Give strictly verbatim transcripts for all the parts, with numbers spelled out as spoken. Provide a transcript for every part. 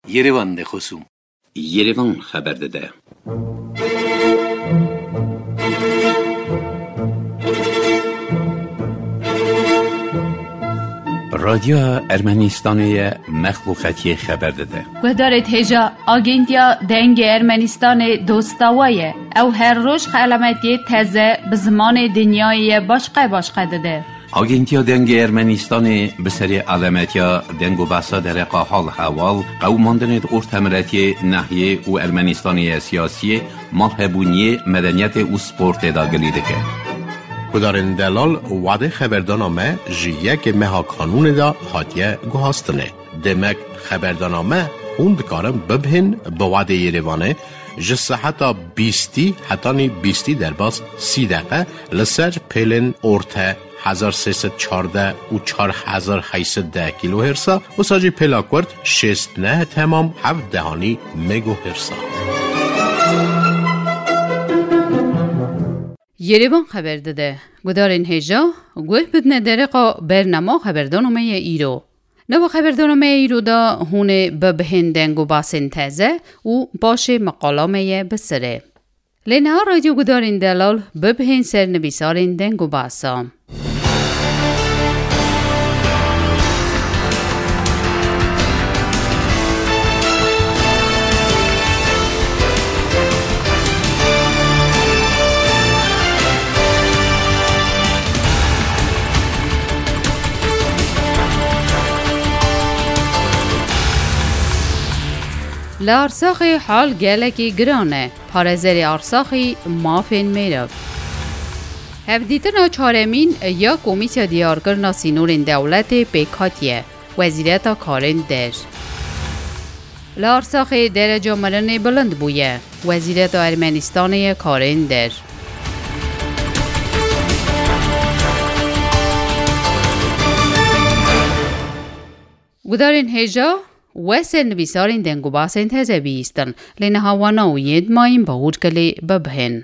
Yerevan de xosûm. Yerevan xeber dide. Radyoya Ermenistanê ye, mexluqetiyê xeber dide. Guhdarê hêja, Agentiya Dengê Ermenistanê dosta we ye. Ew her roj xelametiyê teze bi zimanê dinyayê ye başqe başqe dide. Agentiya Dengê Ermenistanê bi serê alemetiya deng û behsa dereqa hal hewal, qewimandinê di ortemiretiyê, nehiyê û Ermenistanê ye siyasiyê, malhebûniyê, medeniyetê û sportê de gilî dike. Gudarên delal, wadê xeberdana me ji yekê meha kanûnê de hatiye guhastinê. Demek xeberdana me hûn dikarin bibihên bi wadê Yerevanê ji seheta bîstî hetanî bîstî derbas sî deqe li ser pêlên orte hezar sê sed çardeh û çar hezar heyt sed deh kîlohêrsa, wisa jî pêla kurt şêst neh temam heft dehanî megohêrsa. Yerevan xeber dide. Gudarên hêja, guh bidine dereqa bernama xeberdana me ye îro. Nava xeberdana me îro de hûn ê bibihên deng û basên teze û paşê meqala me ye bi sirê. Lê niha radyo gudarên delal bibihên ser nivîsarên deng û basa. Li Arsaxê hal gelekî giran e. Parêzerê Arsaxî mafên mêrev. Hevdîtina çaremîn ya Komîsya Diyarkirina Sînorên Dewletê pêk hatiye. Wezîreta Karên Der. Li Arsaxê dereca mirinê bilind bûye. Wezîreta Ermenistanê ye Karên Der. Gudarên hêja, we ser nivîsarên deng û basên teze bihîstin, lê niha wana û yên mayîn bawûr kilê bibihên.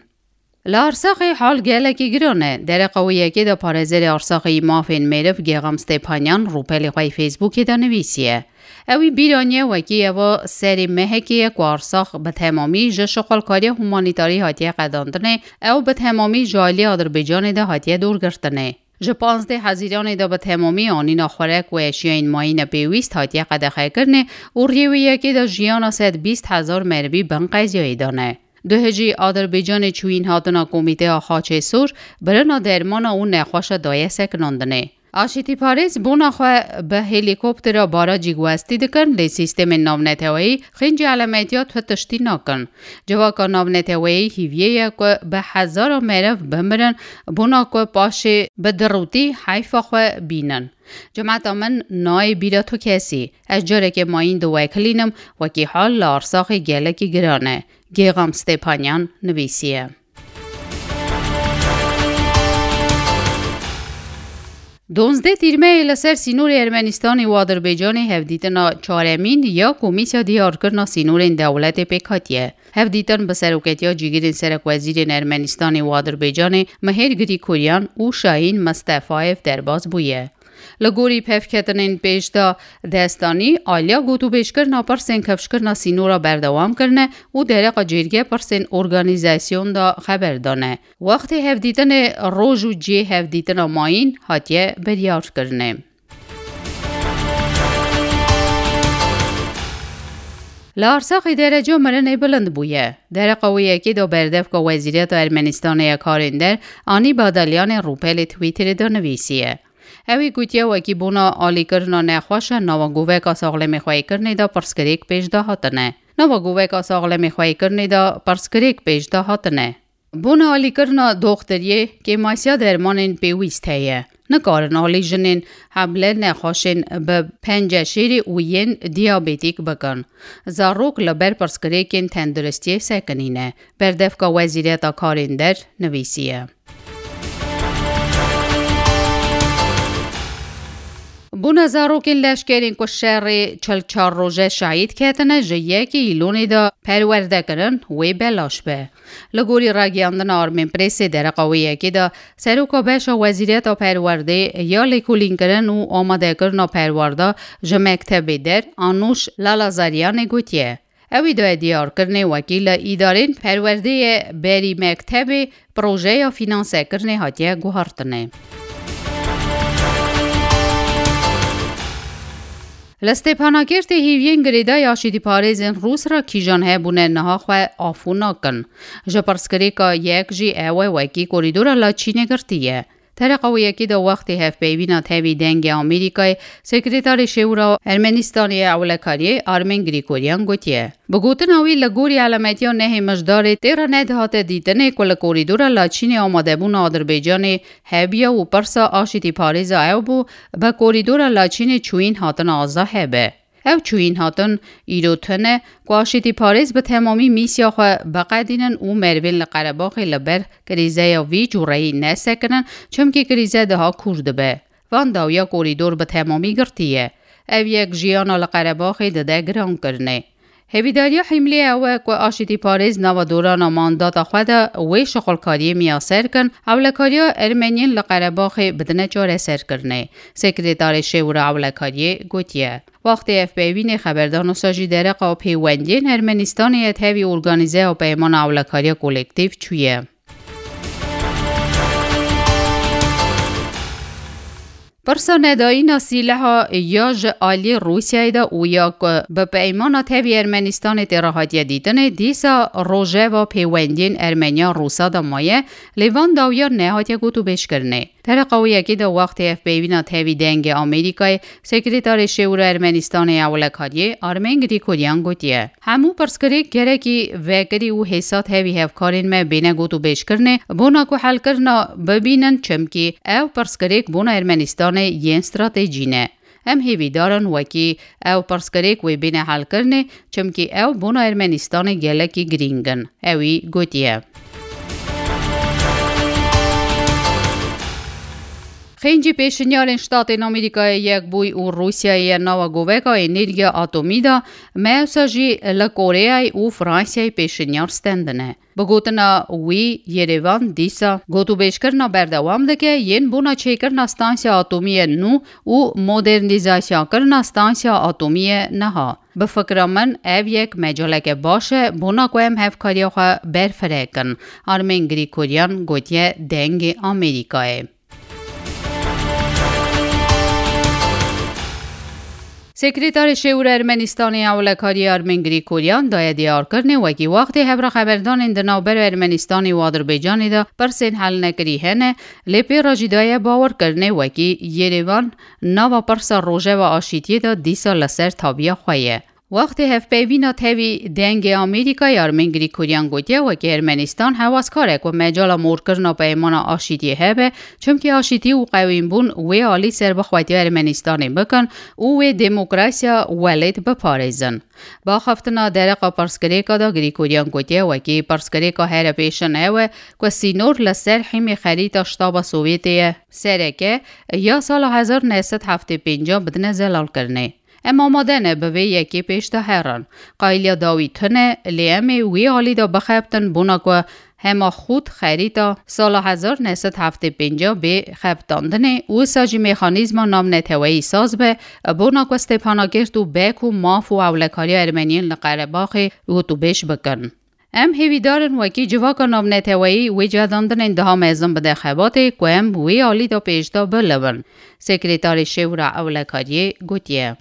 Li Arsaxê hal gelekî giran e. Dereqa wê yekê de parêzerê Arsaxê yî mafên mêriv Gêxam Stepanyan rûpelê xwe yê Facebookê de nivîsiye. Ew î bîr aniye wekî eva serê mehekê ye ku Arsax bi temamî ji şixulkariya humanîtarî hatiye qedandinê, ew bi temamî ji alî Adirbaycanê de hatiye dorgirtinê. Ji panzdeh Hezîranê de bi temamî anîna xurek û eşyayên mayîne pêwîst hatiye qedexekirinê û riyê wê yekê de jiyana sed bîst hezar merivî bin qeziyayê de ne. Duhê jî Adirbaycanê çûyîn hatina Komîteya Xaçê Sor, birina dermana û nexweşa daye sekinandinê. Aşîtîparêz bona xwe bi helîkoptera barajî guhestî dikin, lê sîstemên navneteweyî xîncî elemetiya tu tiştî nakin. Civaka navneteweyî hîviyê ye ku bi hezara meriv bimirin, bona ku paşê bi dirûtî heyfa xwe bînin. Cemeta min nayê bîra tu kesî. Ez carekê mayîn diwekilînim, wekî hal li Arsaxê gelekî giran e. Gêxam Stepanyan nivîsiye. Donzdeh Tîrmeyê li ser sînorê Ermenistanê û Adirbaycanê hevdîtina çaremîn ya Komîsya Diyarkirina Sînorên Dewletê pêk hatiye. Hevdîtin bi seroketiya cîgirên serekwezîrên Ermenistanê û Adirbaycanê Mihêr Grîkoryan û Şahîn Mistefayev derbas bûye. Li gorî pevketinên pêş de destanî, aliya gotûbêjkirina pirsên kifşkirina sînora berdewam kirine û dereqa cêrge pirsên organîzasyon de xeber dane. Wextê hevdîtinê roj û cihê hevdîtina mayîn hatiye biryarkirinê. Li Arsaxê dereca mirinê bilind bûye. Dereqa wê yekê de berdevka Wezîreta Ermenistanê ya Karên Der, Anî Badalyanê rûpelê Twitterê de nivîsiye. Ew ê gotiye wekî bona alîkirina nexweş e, nava goveka saxlemê xweykirinê de pirsgirêk pêş de hatine. Nava goveka saxlemê xweykirinê de pirsgirêk pêş de hatine. Bona alîkirina doxtiriyê kêmasiya dermanên pêwîst heye. Nikarin alî jinên hemle nexweşên bi penceşêrî û yên diyabetîk bikin. Zarok li ber pirsgirêkên tenduristiyê sekinîne. Berdevka Wezîreta Karên Der nivîsiye. Bûna zarokên leşkerên ku şerê çil çar roje şehîd ketine, ji yekê Îlonê de perwerde kirin, wê belaş be. Li gorî ragiyandina Armên Presê dereqa wê yekê de, seroka beşa Wezîriyeta Perwerdê ya lêkolînkirin û amadekirina perwarda ji mektebê der, Anûş Lalazariyanê gotiye, ew ê daye diyarkirinê wekî li îdarên perwerdê ye berî mektebê projeya fînansekirinê hatiye guhartinê. Li Stêpanakertê hîviyên girêdayî aşîtîparêzên Rûs re kîjan hebûne niha xwe afû nakin. Ji pirsgirêka yek jî ew e wekî korîdora Laçînê girtî ye. Tereqa wê yekê de wextê hevpeyvîna tevî Dengê Amerîkayê, Sekreterê Şêwra Ermenistanê ya Ewlekariyê Armen Grîgoryan gotiye. Bi gotina wî, li gorî elametiya nehê Mijdarê tê re nedihate dîtinê ku li korîdora Laçînê amadebûna Adirbaycanê hebiya û pirsa aşîtîparêza ew bû, bi korîdora Laçînê çûyîn hatina aza hebe. Ew çûyîn hatin îro tune ku aşîtîparêz bi temamî mîsya xwe biqedînin û merivên li Qerebaxê li ber krîzeya vî cûreyî nesekinin, çimkî krîze daha kûr dibe. Van dawiya korîdor bi temamî girtî ye. Ev yek jiyana li Qerebaxê dide girankirinê. Hêvîdariya Hîmlê ew e ku aşîtîparêz nava dorana mandata xwe de wê şixulkariyê miyaser kin, ewlekariya Ermeniyên li Qerebaxê bidine çareserkirinê. Sekreterê Şêwra Ewlekariyê gotiye, wextê hevpeyvînê xeberdan wisa jî dereqa pêwendiyên Ermenistanê ya tevî organîzeya Peymana Ewlekariya Kolektîf çûye. Pirsa nedayîna sîleha ya ji aliyê Rûsyayê de û ya ku bi peymana tevî Ermenistanê tê re hatiye dîtinê, dîsa rojeva pêwendiyên Ermeniya Rûsa de maye, lê van dawiya nehatiye gotûbêjkirinê. Tereqa wê yekê de wextê hevpeyvîna tevî Dengê Amerîkayê, Sekreterê Şêwra Ermenistanê ya Ewlekariyê Armen Grîgoryan gotiye, hemû pirsgirêk gerekî vekirî û hêsa tevî hevkarên me bêne gotûbêjkirinê, bona ku helkirina bibînin, çimkî ew pirsgirêk bona Ermenistanê yên stratejî ne. Em hêvîdar in wekî ew pirsgirêk wê bêne helkirinê, çimkî ew bona Ermenistanê gelekî girîng in, ewî gotiye. Xêncî pêşinyarên Ştatên Amerîkayê Yekbûyî û Rûsyayê ye nava goveka enerjiya atomî de, me wisa jî li Koreyayê û Fransayê pêşinyar stendine. Bi gotina wî, Yerevan dîsa gotûbêjkirina berdewam dike yên bona çêkirina stansiya atomî ye nû û modernîzasyakirina stansiya atomî ye niha. Bi fikra min ev yek mecaleke baş e bona ku em hevkariya xwe berfireh kin, Armen Grîgoryan gotiye Dengê Amerîkayê. Sekreterê Şêwra Ermenistanê ya Ewlekariyê Armen Grîgoryan daye diyarkirinê wekî wextê hevra xeberdanên di navbera Ermenistanê û Adirbaycanê de pirsên helnekirî hene, lê pê re jî daye bawerkirinê wekî Yerevan nava pirsa rojeva aşîtiyê de dîsa li ser tabiya xwe ye. Wextê hevpeyvîna tevî Dengê Amerîkayê Armen Grîgoryan gotiye, wekî Ermenistan hewazkar e ku mecala morkirina peymana aşîtiyê hebe, çimkî aşîtî û qewînbûn wê alî serbixwetiya Ermenistanê bikin û wê demokrasiya welêt biparêzin. Bi axaftina dereqa pirsgirêka de Grîgoryan gotiye, wekî pirsgirêka here pêşin ew e ku sînor li ser hîmê xerîta Ştaba Sovyetê ye. Sereke ya sala hezar neh sed heftê pênc bidine zelalkirinê. Em amade ne bi vê yekê pêş de herin. Qayiliya dawî tune, lê em ê wî alî de bixebtin bona ku hema xût xerîta sala hezar neh sed heftê pênc bê xebitandinê û wisa jî mexanîzma navneteweyî saz be, bona ku Stêpanakertê û Bek û maf û ewlekariya Ermeniyên li Qerebaxê gotûbêj bikin. Em hêvîdar in wekî civaka navneteweyî wê cihedandinên daha mezin bide xebatê ku em wê alî de pêşda biliv in, Sekreterê Şêwra Ewlekariyê gotiye.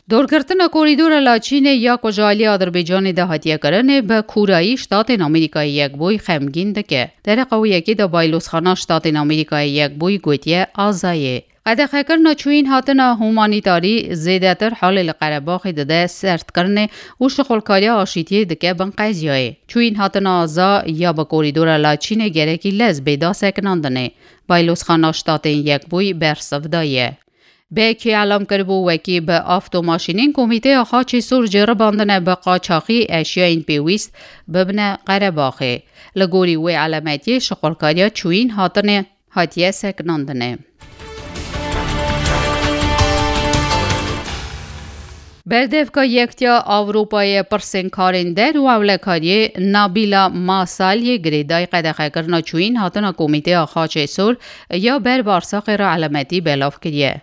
Dorgirtina korîdora Laçînê ya ku ji alî Adirbaycanê de hatiye kirinê, bi kûrayî Ştatên Amerîkayê Yekbûyî xemgîn dike. Dereqa wê yekê de Baylozxana Ştatên Amerîkayê Yekbûyî gotiye, azayê. Qedexekirina çûyîn hatina humanîtarî zêdetir halê li Qerebaxê dide sertkirinê û şixulkariya aşîtiyê dike bin qeziyayê. Çûyîn hatina aza ya bi korîdora Laçînê gerekî lez bê da sekinandinê. Baylozxana Ştatên Yekbûyî bersiv daye. Bekî elam kiribû, wekî bi avtomaşînên Komîteya Xaçê Sor ceribandine bi qaçaxî eşyayên pêwîst bibine Qerebaxê. Li gorî wê elametiyê şixulkariya çûyîn hatinê hatiye sekinandinê. Berdevka Yektiya Ewropayê pirsên karên der û ewlekariyê Nabîla Masaliyê girêdayî qedexekirina çûyîn hatina Komîteya Xaçê Sor ya ber Barsaqê re elemetî belav kiriye.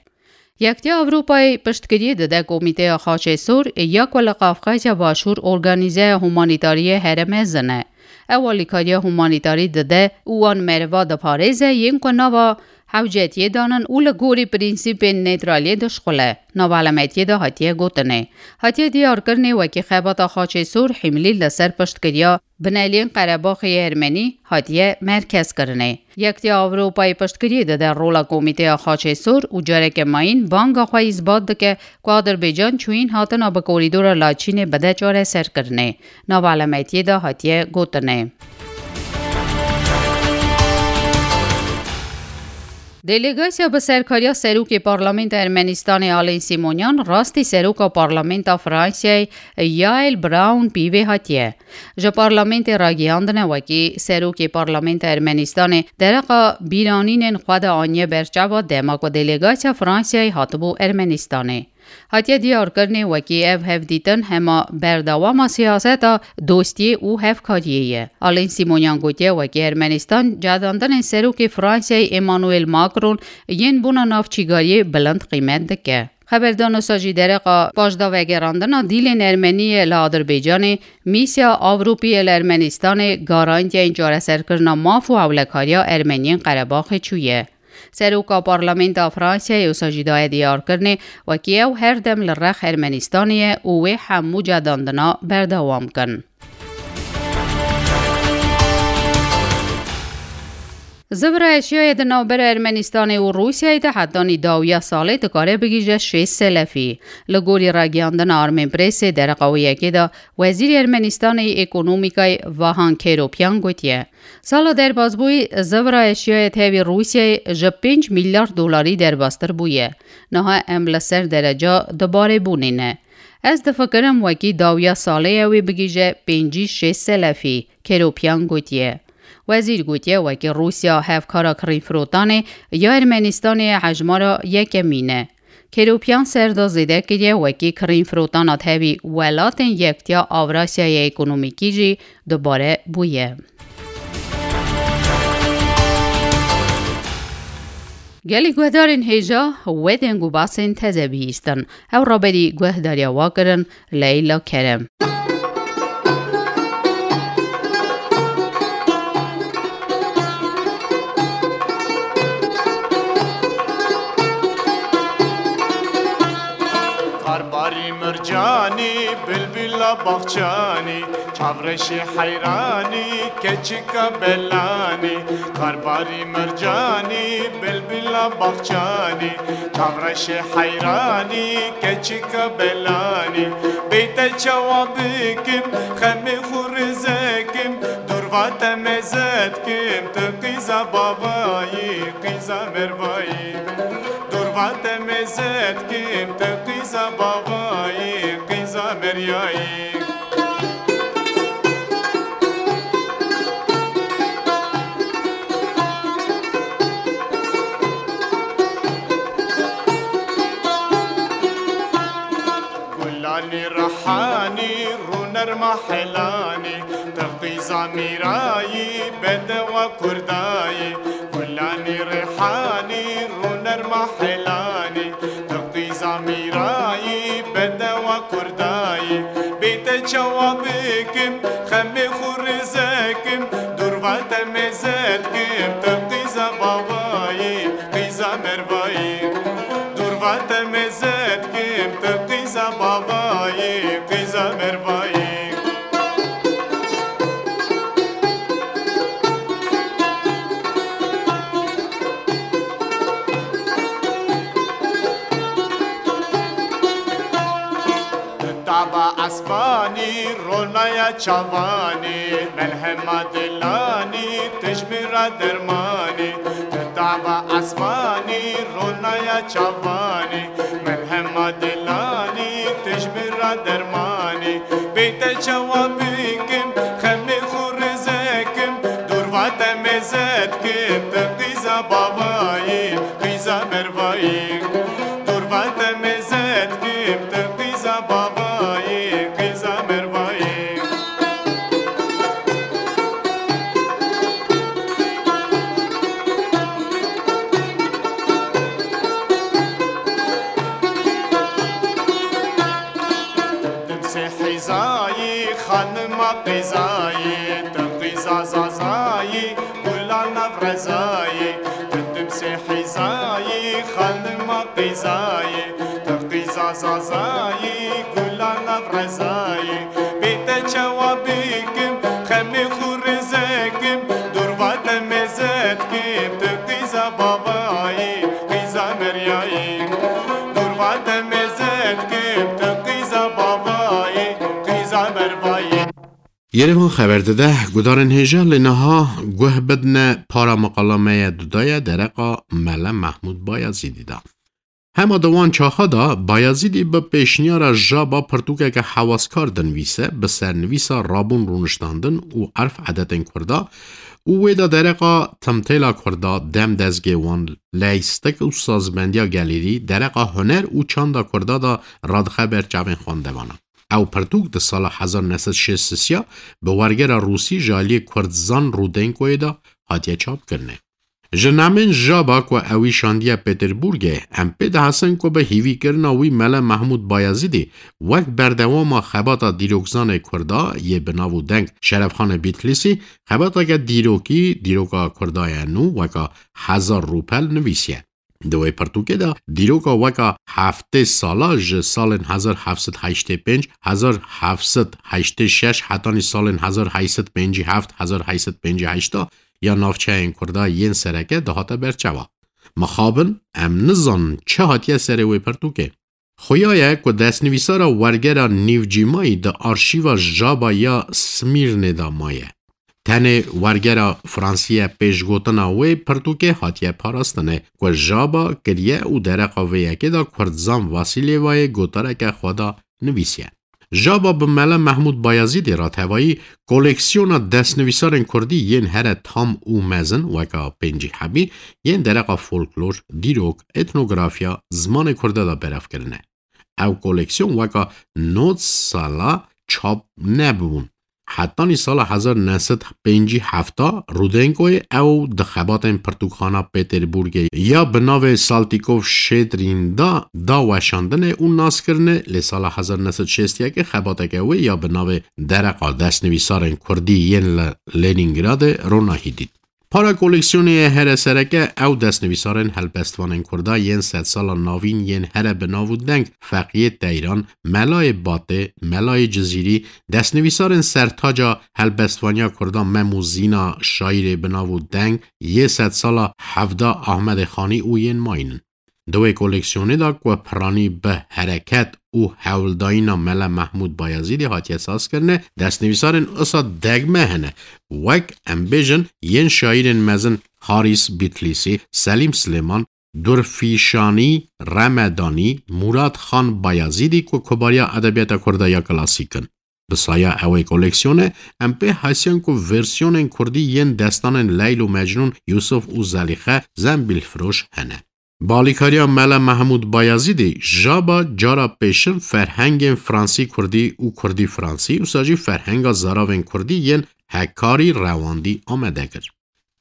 Yektiya Ewropayê piştgiriyê dide Komîteya Xaçê Sor ya ku li Qafqazya Başûr organîzeya humanîtariyê here mezin e. Ew alîkariya humanîtarî dide û wan meriva diparêze yên ku nava hewcetiyê danin û li gorî prînsîpên nêtraliyê dişuxile. Nav elemetiyê de hatiye gotinê. Hatiye diyarkirinê wekî xebata Xaçê Sor hîmlî li ser piştgiriya bineliyên Qerebaxê yê Ermenî hatiye merkezkirinê. Yektiya Ewropayê piştgiriyê dide rola Komîteya Xaçê Sor û careke mayîn banga xwe îsbat dike ku Adirbaycan çûyîn hatina bi korîdora Laçînê bide çareserkirinê. Nav elemetiyê de hatiye gotinê. Delegasya bi serkariya Serokê Parlamenta Ermenistanê Alin Simonyan rastî Seroka Parlamenta Fransayê Yael Braun Pive hatiye. Ji parlamentê ragihandine wekî Serokê Parlamenta Ermenistanê dereqa bîranînên xwe de aniye ber çava dema ku delegasya Fransayê hatibû Ermenistanê. Hatiye diyarkirinê wekî ev hevdîtin hema berdewama siyaseta dostiyê û hevkariyê ye. Alin Simonyan gotiye wekî Ermenistan cedandinên Serokê Fransayê Emmanuel Macron yên bona navçîgariyê bilind qîmet dike. Xeberdanosa jî dereqa paşdavegerandina dîlên Ermeniyê li Adirbaycanê mîsya Ewropî yê li Ermenistanê garantiyên çareserkirina maf û ewlekariya Ermeniyên Qerebaxê çûye. Seroka Parlamenta Fransayê wisa jî daye diyarkirinê wekî ew her dem li rex Ermenistanê ye û wê hemû cedandina berdewam kin. Zivra Eşyayê di navbera Ermenistanê û Rûsyayê de hetanî dawiya salê dikare bigihîje şêst selefî. Li gorî ragihandina Armênprêsê dereqa wê yekê de Wezîrê Ermenistanê yê Ekonomîkayê Vahan Keropyan gotiye, Sala derbasbûyî Zivra Eşyayê tevî Rûsyayê ji pênc milyar dolarî derbastir bûye. Niha em li ser dereca dibarê bûnê ne. Ez difikirim wekî dawiya salê ew ê bigihîje pêncî şêst selefî, Keropyan gotiye. Wezîr gotiye wekî Rûsya hevkara kirînfirotanê ya Ermenistanê ye hejmara yekemîn e. Keropyan ser de zêde kiriye wekî kirînfirotana tevî welatên Yektiya Avrasyayê Ekonomîkî jî dubare bûye. Gelî guhdarên hêja wê deng û basên teze bihîstin. Ew raberî guhdariya wa kirin Leyla Kerem. Karbarî mircanî, bilbila baxçanî, çavreşê heyranî, keçika belanî. Karbarî mircanî, bilbila baxçanî, çavreşê heyranî, keçika belanî. Bê te çawa bikim, xemê xwe rêze kim, dûr va te meze dikim, tu qîza bavayî, qîza mervayî. Dûr va te meze dikim, tu qîza bavayî, qîza meryayî. Gulanî rihanî, rûnerma helanî, tu qîza mîrayî, bedewa kurdayî. Gulanî rihanî, rûnerma helanî, tu qîza mîrayî, bedewa kurdayî. Bê te çawa bikim, xemê xwe rêze kim, dûr va te meze dikim, tu qîza bavayî, qîza mervayî. Dûr va te meze dikim, tu qîza bavayî, qîza mervayî. Taba esmanî, ronaya çavanî, melhema dilanî, tijmîra dermanî. Taba esmanî, ronaya çavanî, melhema dilanî, tijmîra dermanî. Bê te çawa bikim, xemê xwe rêze kim, dûr va te meze dikim, tu qîza Bavayê qîza mervayê, dûr vate mêze dikim, tu qîza bavayê qîza mervayê. Dimsê hîzayî, xanima qîzayî, tu qîza zazayî, gula nav rezayî. Tu dimsê hîzayî, xanima qîzayî, tu qîza zazayî, gula nav rezayî. Bê te çawa bikim, xemê xwe rêze kim, dûr vate mêze dikim, tu qîza bavayî, qîza meryayî. Dûr vate mêze dikim, tu qîza bavayî, qîza mervayî. Yerevan xeber dide, gudarên hêja lê niha guh bidne para miqala me ye dudaye dereqa Mele Mehmûd Bayazîdî de. Hema di wan çaxa de Bayazîdî bi pêşniyara Jaba pirtûkeke hewaskar dinivîse, bi sernivîsa rabûn rûniştandin û erf edetên Kurda û wê de dereqa timtêla Kurda, dem dezgê wan, leystik û sazbendiya gelêrî, dereqa huner û çanda Kurda de radixe ber çavên xwendevanan. Ew pirtûk di sala hezar neh sed şêst sisiya bi wergera Rûsî ji aliyê Kurdzan Rudenkoyê de hatiye çapkirinê. Ji namên Jaba ku ewî şandiye Pêterburgê, em pê dihesin ku bi hîvîkirina wî Mele Mehmûd Bayazîdî wek berdewama xebata dîrokzanê Kurda yê bi nav û deng Şerefxanê Bîtlîsî xebateke dîrokî, dîroka Kurda ye nû weka Hezar Rûpel nivîsiye. Di wê pirtûkê de dîroka weka heftê sala ji salên hezar heft sed heştê pênc, hezar heft sed heştê şeş hetanî salên hezar heyt sed pêncî heft, hezar heyt sed pêncî heşt ya navçeyên Kurda yên sereke dihate ber çavan. Mixabin em nizanin çi hatiye serê wê pirtûkê. Xuya ye ku destnivîsara wergera nîvcîmayî di arşîva Jaba ya Smîrnê de maye. Tenê wergera Fransî ye pêşgotina wê pirtûkê hatiye parastinê ku Jaba kiriye û dereqa vê yekê de Kurdzan Vasîlyevayê gotareke xwe de nivîsiye. Jaba bi Mele Mehmûd Bayazîdê re tevayî koleksiyona destnivîsarên kurdî yên here tam û mezin weka pêncî hebî yên dereqa folklor, dîrok, etnografiya, zimanê kurde de berev kirine. Ew koleksiyon weka nod sala çap nebûn. Hetanî sala hezar neh sed pêncî heft Rudenkoyê ew di xebatên pirtûkxana Pêterburgê ya bi navê Saltîkov Şedrîn de da weşandinê û naskirinê, lê sala hezar neh sed şêst yekê xebateke wê ya bi navê Dereqa Destnivîsarên Kurdî yên li Lenîngradê ronahî dît. Para koleksiyonê ye here sereke ew destnivîsarên helbestvanên Kurda yên sedsala navîn yên here bi nav û deng Feqiyê Teyran, Melayê Batê, Melayê Cizîrî, destnivîsarên sertaca helbestvaniya Kurda Mem û Zîna, şaîrê bi nav û deng yê sedsala hevda Ahmedê Xanî û yên mayîn in. Di wê koleksiyonê de ku piranî bi hereket û hewldayîna Mele Mehmûd Bayezîdê hatiye sazkirine, destnivîsarên usa degme hene, wek, em bêjin, yên şaîrên mezin Harîs Bîtlîsî, Selîm Silêman, Durfîşanî Remedanî, Murad Xan Bayezîdî ku kubariya edebiyata Kurda ya klasîk in. Bi saya ewê koleksiyonê, em pê hesiyan ku versiyonên kurdî yên destanên Leyl û Mecnûn, Yûsif û Zelîxe, Zembîlfiroş hene. Bi alîkariya Mele Mehmûd Bayezîdî, Jaba cara pêşin ferhengên fransî kurdî û kurdî fransî, wisa jî ferhenga zaravên kurdî yên hekarî rewandî amade kir.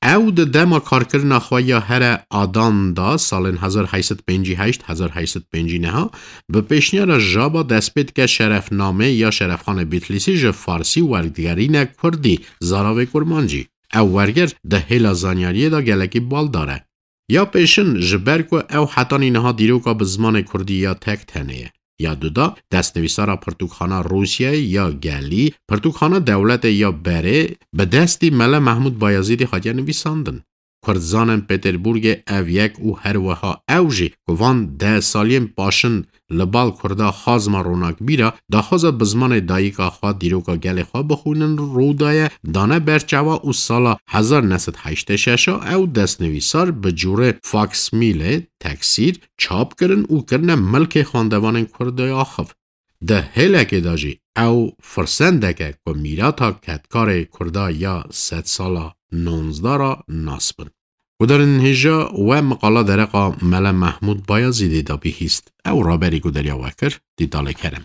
Ew di dema karkirina xwe ya here Adan da, salên hezar heyt sed pêncî heşt, hezar heyt sed pêncî neh, bi pêşniyara Jaba dest pê dike şerefnamê ya Şerefxanê Bîtlîsî ji farsî wergerîne kurdî, zaravê kurmancî. Ew werger di hêla zanyariyê de gelekî baldar e. Ya pêşin, ji ber ku ew hetanî niha dîroka bi zimanê kurdî ya tek tenê ye. Ya duda, destnivîsara pirtûkxana Rûsyayê ya gelî, pirtûkxana dewletê ya berê, bi destî Mele Mehmûd Bayezîdî hatiye nivîsandin. Kurdzanên Pêterburgê ev yek û her wiha ew jî ku van deh saliyên paşin li bal Kurda xazma ronakbîra, daxwaza bi zimanê dayika xwe dîroka gelê xwe bixwînin rû daye, dane ber çawa û sala hezar neh sed heştê şeş ew destnivîsar bi cûrê faksmîlê, teksîr, çap kirin û kirine milkê xwendevanên Kurda ya axiv. Di hêlekê de jî ew firsendek e ku mîrata kedkarê Kurda ya sedsala nonzdeh re nas bin. Guhdarên hêja we miqala dereqa Mele Mehmûd Bayazîdê de bihîst. Ew raberî ku deriya we kir, Dîtalê Kerem.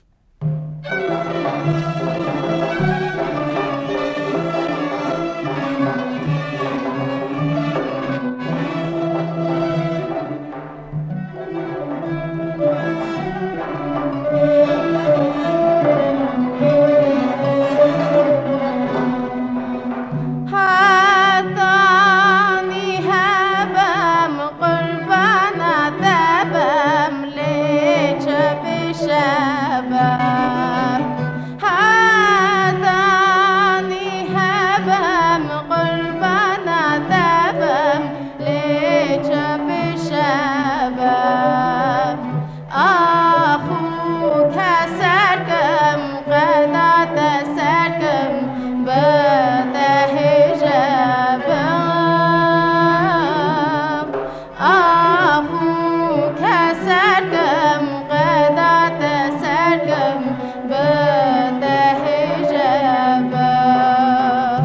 Hetanî hebem qurbana te bem, lê çi bişebem. Hetanî hebem qurbana te bem, lê çi bişebem. Ax û keser kim, qeda te ser kim, bi te hêje bim. Ax û keser kim, qeda te ser kim, bi te hêje bim.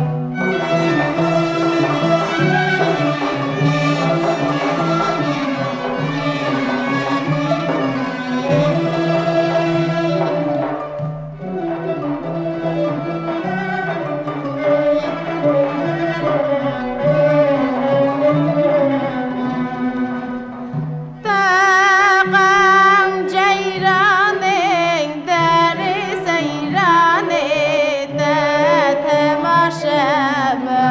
Teqem ceyranê, derê seyranê, te temaşe be.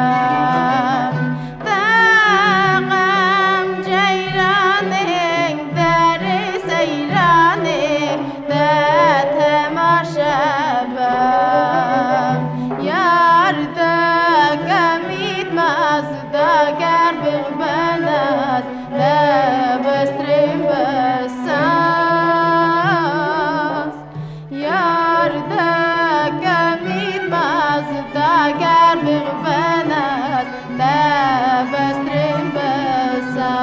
Teqem ceyranê, derê seyranê, te temaşe be. Yar de kemît mez, dager bixbenes, te bestrên besas. Yar de kemît mez, dager bixbenes, te bestrên besa.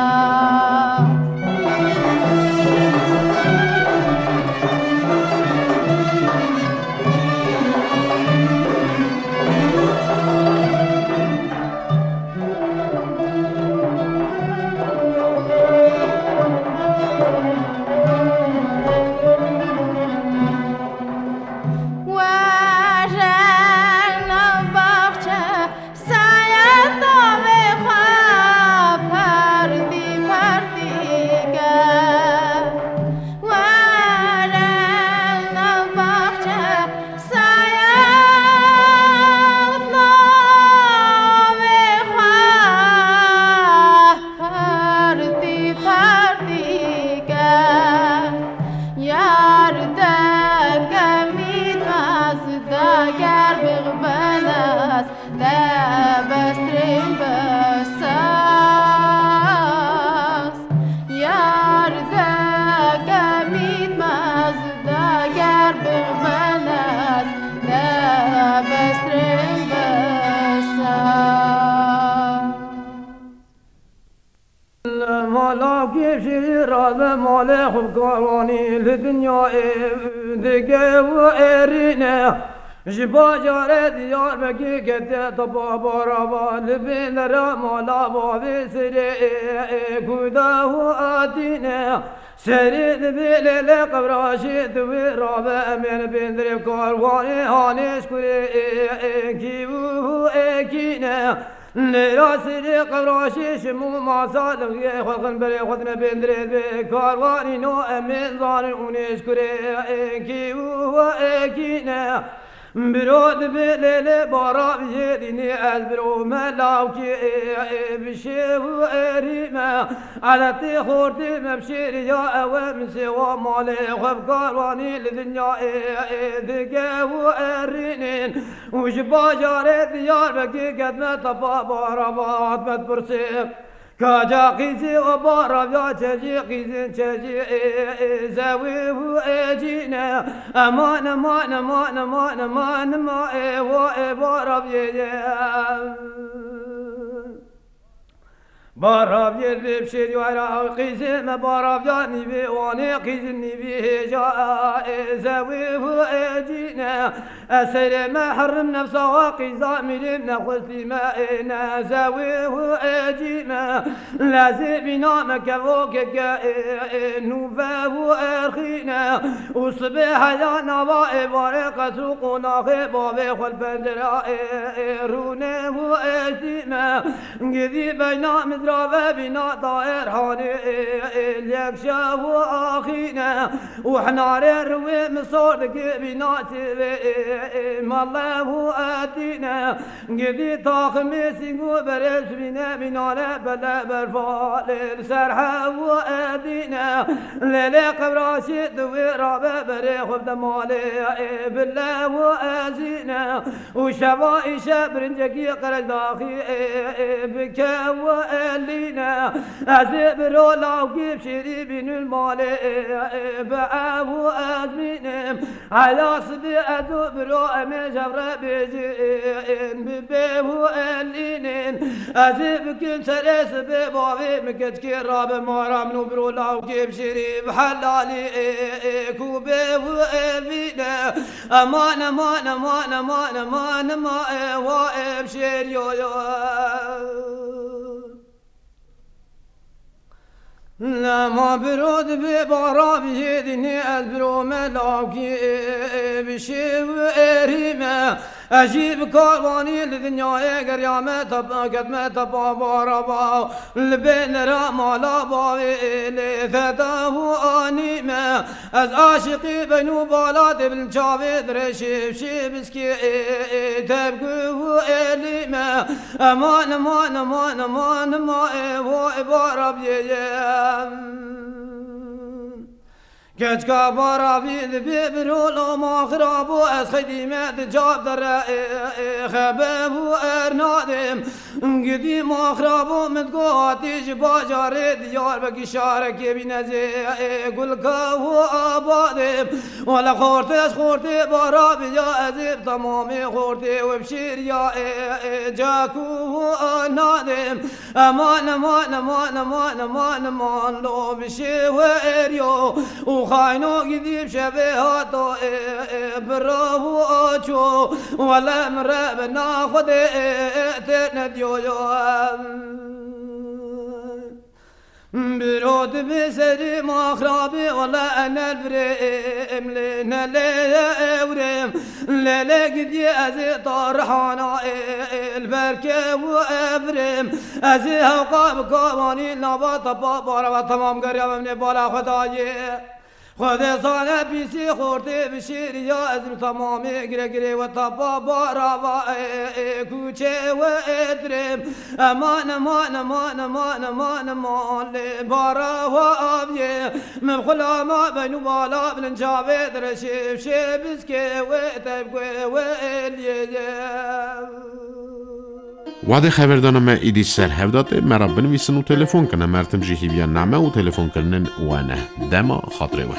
Were nav baxçe, saya tavê xwe, partî partî ke. Were nav baxçe, saya tavê xwe, partî partî ke. Yar de kemît mez, dager bixbenes, te bestrên besas. Yar de kemît mez, dager bixbenes, te bestrên besas. Mala kêşî rabe malê xwe karwanî li dinyayê dige û êrîne. Ji bajarê Diyarbekir kete tapa barava li bin dera mala bavê sirê ku da û atîne. Serê dibê lêlê qevraşê diwê rabe em ê li bin dirê karwanê hanê ji kurê kî û ekîne. Lêra sirê qevraşê şim û masa lixiyê xwe xin berê xwe dine bên dirê dibê karwanî no em ê zanin û nêşkurê ekî û ekî ne. Biro dibê lêlê bara biyê dînî ez biro me lawkî bi şêv û erî me. Eletê xortê me bi şêrî ya ewe min sêwa malê xwe bi karwanî li dinya ê dige û erînên. Û ji bajarê Diyarbekir ketme tepa bara vat me dipirsê. Kaca qîzî û bara ya çejî qîzin çejî ê, ê, zewî û ê cîne. Eman, eman, eman, eman, eman, eman, ê, wa, ê, bara biyê ye. Baraviyê li şêrî wera qîzê me, baraviya nîvê wanê qîzin nîvî hêja, e, zewê hu ecîne. Ez seyrê me herim nefsa wa qîza mîrê nexwestî me, e, ne zewê hu ecî me. Lezê bîna me kevo keke, e, e, nûve hu erxîne. Û sibê heya nava êvarê qesr û qonaxê bavê xwe li pencera, e, e, rûnê hu ecî me. Gidî beyna mizrave bîna daer hanê, e, e, lek şev û axîne. Û hinarê riwê misor dikê bîna çivê, e, e, mele û etîne. Gidî taximê sîng û berê sibîne bînane bele berfalê li ser hev û etîne. Lêlê qevraşê di wê rabe berê xwe bide malê, e, bile û ezîne. Û şeva îşe birincekî qereçdaxî, e, e, bike û elîne. Ez ê biro lawkî bi şêrî bînin malê, e, e, bi ev û ez bînim. Heya sibê ez û biro em ê jev re bêjin, bi bê û elînin. Ez ê bikim serê sibê bavê min keçikê rabe mara min û biro lawkê bi şêrî bi helalî, e, e, ku bê û evîne. Eman, eman, eman, eman, eman, eman, e, wa, e, bi şêriyo yo. Lema biro dibê baraviyê dînê ez biro me lawkî, e, e, bi şêv êrî me. Ez jî bi karwanî li dinyayê geriya me tep-, ketme tepa barava. Li bê nera mala bavê lê feda û anî me. Ez aşiqî beyn û bala tê bin çavê dirê şêv şêv biskê, e, e, tevgû û êlî me. Eman, eman, eman, eman, eman, e, vo, e, barabiyê ye. Keçka baravî li bê birolo ma xirabo ez xeydî me di cav dere, e, e, xebe û ernadê. Gidî ma xirabo min go hatî ji bajarê Diyarbekir şarekê bîne zê, e, gulka û abadê. Wele xortê ez xortê barabiya ez ê bi temamê xortê we bi şêriya, e, e, cakû û anadê. Eman, eman, eman, eman, eman, eman, lo bi şêwe êriyo. Û xayno gidî bi şevê hato, e, e, bi rav û aço. Wele min re bi na Xwedê, e, e, tê nediyo yo. Biro dibê serî maxrabê, wele enel virê, em lê nelê ewrêm. Lê lê gidiyê ez ê tarihana, e, e, li ber kew û evrêm. Ez ê hewqa bi kawanî nava tepa bara ve temam geriya ve nê bala xwe dayê. Xwedê zane pîsî xortê bi şêriya ez bi temamê gire girê we tepa bara va, e, e, e, kuçê we êtirê. Eman, eman, eman, eman, eman, eman, lê bara wa aviyê. Min xulama beynû bala bilin çavê direşê şê biskê we tevgê we êliyê. Wadê xeverdana me îdî ser hevdatê, me re binivîsin û telefon kine. Mertim jî hîviya name û telefonkirinên we ne. Dema xatirê we.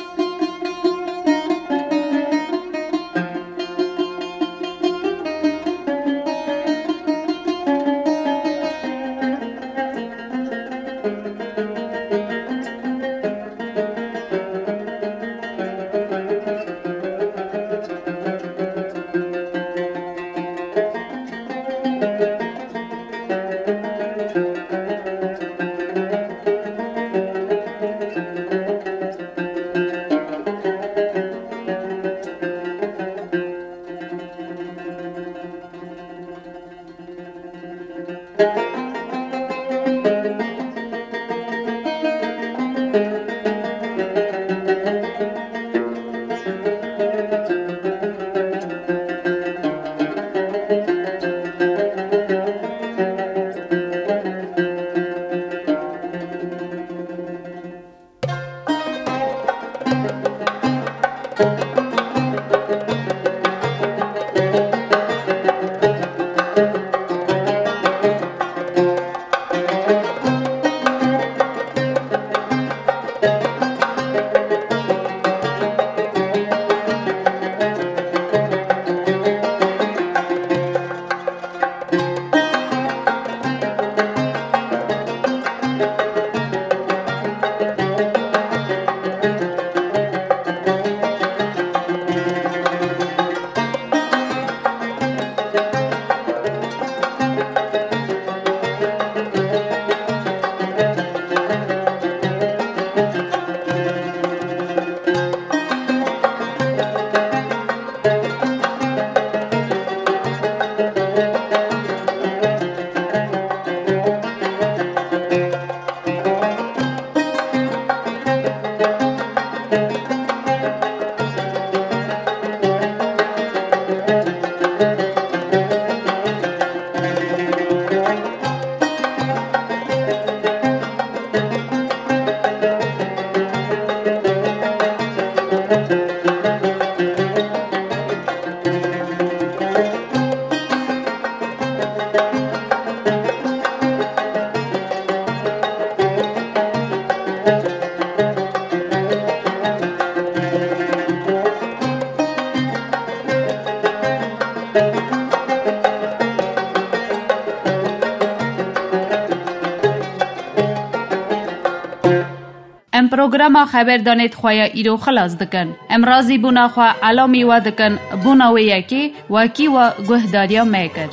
Programa xeberdanê di xwe ya îro xilas dikin. Em razîbûna xwe elamî we dikin, bona wê yekê wekî we guhdariya me kir.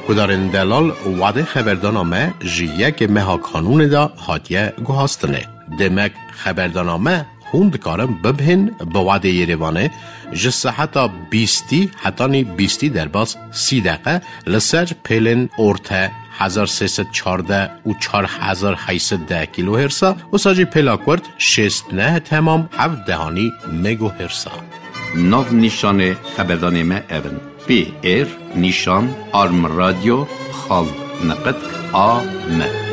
Guhdarên delal, wadê xeberdana me ji yekê meha Kanûnê de hatiye guhastinê. Demek xeberdana me hûn dikarin bibihên bi wadê Yerêvanê ji seheta bîstî hetanî bîstî derbas sî deqe li ser pêlên orte hezar sê sed çardeh û çar hezar heyt sed deh kîlohêrsa, wisa jî pêla kurt şêst neh temam heft dehanî megohêrsa. Nav nîşanê xeberdanê me ev in: P R nîşan arm radyo xal niqitk a m.